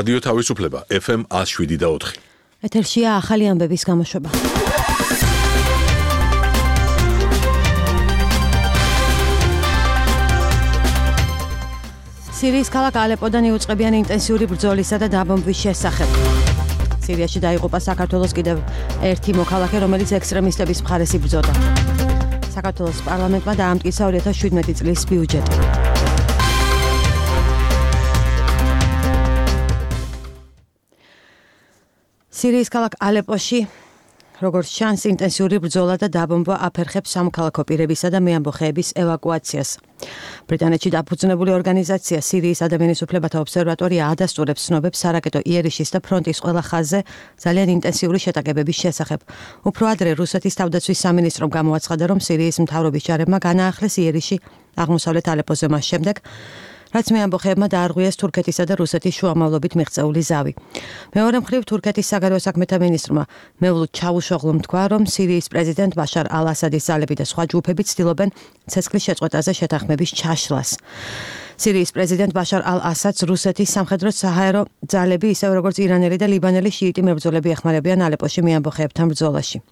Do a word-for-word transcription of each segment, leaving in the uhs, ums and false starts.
რადიო თავისუფლება ეფ ემ one oh seven და four. ეთერშია ახალი ამბების გამოშვება. სირიის ქალაქ ალეპოდან იუწყებიან ინტენსიური ბრძოლისა და დაბომბვის შესახებ. სირიაში დაიღუპა საქართველოს კიდევ ერთი მოქალაქე, რომელიც ექსტრემისტების მხარეს იბრძოდა. საქართველოს პარლამენტმა დაამტკიცა two thousand seventeen წლის ბიუჯეტი. სირიის ქალაქ ალეპოში, როგორც ჩანს, ინტენსიური ბრძოლა და დაბომბვა აფერხებს სამოქალაქო პირებისა და მეამბოხეების ევაკუაციას. ბრიტანეთში დაფუძნებული ორგანიზაცია სირიის ადამიანის უფლებათა ობსერვატორია ადასტურებს ცნობებს სარაკეტო იერიშის და ფრონტის ყველა ხაზზე ძალიან ინტენსიური შეტაკებების შესახებ. უფრო ადრე რუსეთის თავდაცვის სამინისტრომ გამოაცხადა, რომ სირიის მთავრობის ჯარებმა განაახლეს იერიში აღმოსავლეთ ალეპოზე მას შემდეგ, რაც მეამბოხეებმა დაარღვიეს თურქეთისა და რუსეთის შუამავლობით მიღწეული ზავი. მეორე მხრივ, თურქეთის საგარეო საქმეთა მინისტრმა მევლუდ ჩავუშოღლუმ თქვა, რომ სირიის პრეზიდენტ ბაშარ ალ-ასადის ძალები და სხვა ჯგუფები ცდილობენ ცეცხლის შეწყვეტაზე შეთანხმების ჩაშლას. სირიის პრეზიდენტ ბაშარ ალ-ასადს რუსეთის სამხედრო-საჰაერო ძალები, ისევე როგორც ირანელი და ლიბანელი შიიტი მებრძოლები ეხმარებიან ალეპოში მეამბოხეებთან ბრძოლაში.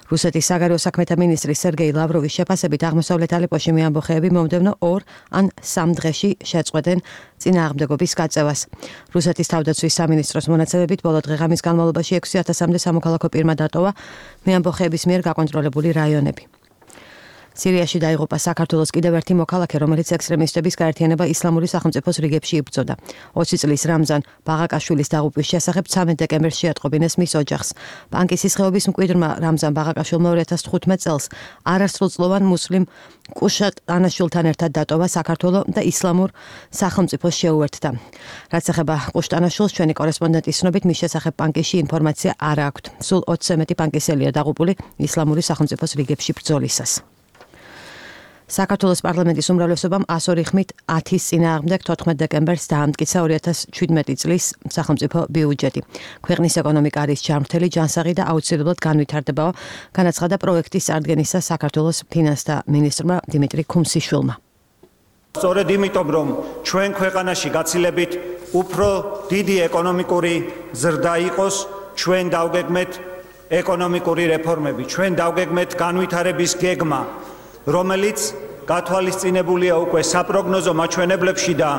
რუსეთის საგარეო საქმეთა მინისტრი სერგეი ლავროვის შეფასებით აღმოსავლეთ ალეპოში მეამბოხეები მომდევნო ორ ან სამ დღეში შეწყვეტენ წინააღმდეგობის გაწევას. რუსეთის თავდაცვის სამინისტროს მონაცემებით ბოლო დღე-ღამის განმავლობაში ექვსი ათასამდე სამოქალაქო პირმა დატოვა მეამბოხეების მიერ გაკონტროლებული რაიონები. სირიაში დაიღუპა საქართველოს კიდევ ერთი მოქალაქე, რომელიც ექსტრემისტების გაერთიანება ისლამური სახელმწიფოს რიგებში იბრძოდა. ოცი წლის რამზან ბაღაკაშვილის დაღუპვის შესახებ ცამეტ დეკემბერს შეატყობინეს მის ოჯახს. პანკისის ხეობის მკვიდრმა რამზან ბაღაკაშვილმა two thousand fifteen წელს არასრულწლოვან მუსლიმ კუშატ ანაშვილთან ერთად დატოვა საქართველო და ისლამურ სახელმწიფოს შეუერთდა. რაც ეხება კუშტანაშვილს, ჩვენი კორესპონდენტის ცნობით, მის შესახებ პანკისში ინფორმაცია არ აქვთ. სულ ოცზე მეტი პანკისელია დაღუპული ისლამური სახელმწიფოს რიგებში ბრძოლისას. საქართველოს პარლამენტის უმრავლესობამ one oh two ხმით ათის წინააღმდეგ თოთხმეტ დეკემბერს დაამტკიცა two thousand seventeen წლის სახელმწიფო ბიუჯეტი. ქვეყნის ეკონომიკა არის ჯანმრთელი, ჯანსაღი და აუცილებლად განვითარდებაო, განაცხადა პროექტის წარდგენისა საქართველოს ფინანსთა მინისტრმა დიმიტრი ქუმსიშვილმა. სწორედ იმიტომ, რომ ჩვენ ქვეყანაში გაცილებით უფრო დიდი ეკონომიკური ზრდა იყოს, ჩვენ დავგეგმეთ ეკონომიკური რეფორმები, ჩვენ დავგეგმეთ განვითარების გეგმა, რომელიც გათვალისწინებულია უკვე საპროგნოზო მაჩვენებლებში და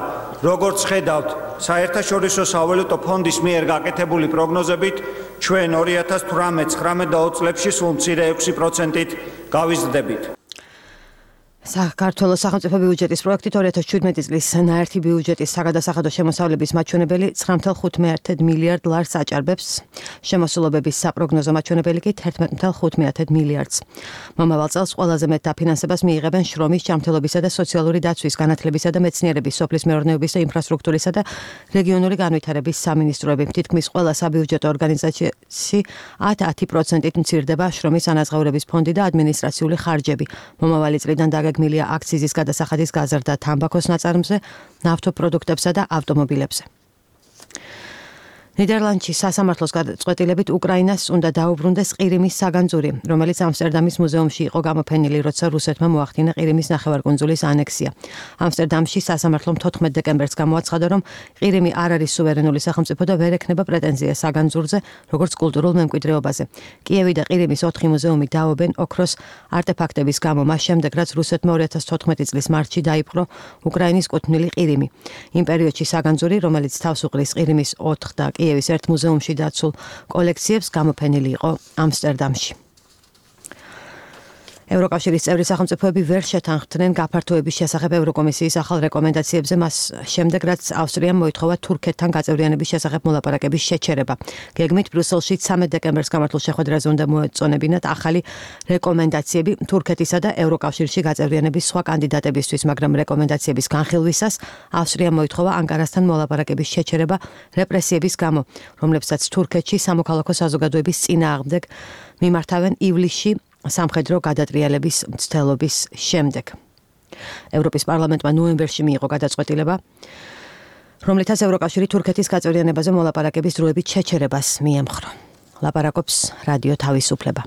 როგორც ხედავთ, საერთაშორისო სავალუტო ფონდის მიერ გაკეთებული პროგნოზებით, ჩვენ two thousand eighteen, nineteen და twenty წლებში სულ მცირე έξი პროცენტით გავიზრდებით. საქართველოს სახელმწიფო ბიუჯეტის პროექტით two thousand seventeen წლის ნაერთი ბიუჯეტის საგადასახადო შემოსავლების მაჩვენებელი nine point five მილიარდ ლარს აჭარბებს, შემოსულობების საპროგნოზო მაჩვენებელი კი eleven point five მილიარდს. მომავალ წელს ყველაზე მეტ დაფინანსებას მიიღებენ შრომის, ჯანმრთელობისა და სოციალური დაცვის, განათლებისა და მეცნიერების, სოფლის მეურნეობის და ინფრასტრუქტურისა და რეგიონული განვითარების სამინისტროები. თითქმის ყველა საბიუჯეტო ორგანიზაციაში ten პროცენტით მცირდება შრომის ანაზღაურების ფონდი და ადმინისტრაციული ხარჯები. მომავალი წლიდან დაგეგმილია აქციზის გადასახადის გაზრდა თამბაქოს ნაწარმზე, ნავთობპროდუქტებსა და ავტომობილებზე. ნიდერლანდში სასამართლოს გადაწყვეტილებით უკრაინას უნდა დაუბრუნდეს ყირიმის საგანძური, რომელიც ამსტერდამის მუზეუმში იყო გამოფენილი, როცა რუსეთმა მოახდინა ყირიმის ნახევარკუნძულის ანექსია. ამსტერდამში სასამართლომ თოთხმეტ დეკემბერს გამოაცხადა, რომ ყირიმი არ არის სუვერენული სახელმწიფო და ვერ ექნება პრეტენზია საგანძურზე, როგორც კულტურულ მემკვიდრეობაზე. კიევი და ყირიმის ოთხი მუზეუმი დაობენ ოქროს არტეფაქტების გამო, მას შემდეგ, რაც რუსეთმა two thousand fourteen წლის მარტში დაიპყრო უკრაინის კუთვნილი ყირიმი. იმ პერიოდში საგანძური, რომელიც თავს უყრის ყირიმის ოთხ და კიევის ერთ მუზეუმში დაცულ კოლექციებს, გამოფენილი იყო ამსტერდამში. ევროკავშირის წევრი სახელმწიფოები ვერ შეთანხმდნენ გაფართოების შესახებ ევროკომისიის ახალ რეკომენდაციებზე, მას შემდეგ, რაც ავსტრიამ მოითხოვა თურქეთთან გაწევრიანების შესახებ მოლაპარაკების შეჩერება. გეგმით ბრიუსელში ცამეტ დეკემბერს გამართულ შეხვედრაზე უნდა მოეწონებინათ ახალი რეკომენდაციები თურქეთისა და ევროკავშირში გაწევრიანების სხვა კანდიდატებისთვის, მაგრამ რეკომენდაციების განხილვისას ავსტრიამ მოითხოვა ანკარასთან მოლაპარაკების შეჩერება რეპრესიების გამო, რომლებსაც თურქეთში სამოქალაქო საზოგადოების წინააღმდეგ მიმართავენ ივლისში სამხედრო გადატრიალების მცდელობის შემდეგ. ევროპის პარლამენტმა ნოემბერში მიიღო გადაწყვეტილება, რომლითაც ევროკავშირი თურქეთის გაწევრიანებაზე მოლაპარაკების დროებით შეჩერებას მიემხრო. ლაპარაკობს რადიო თავისუფლება.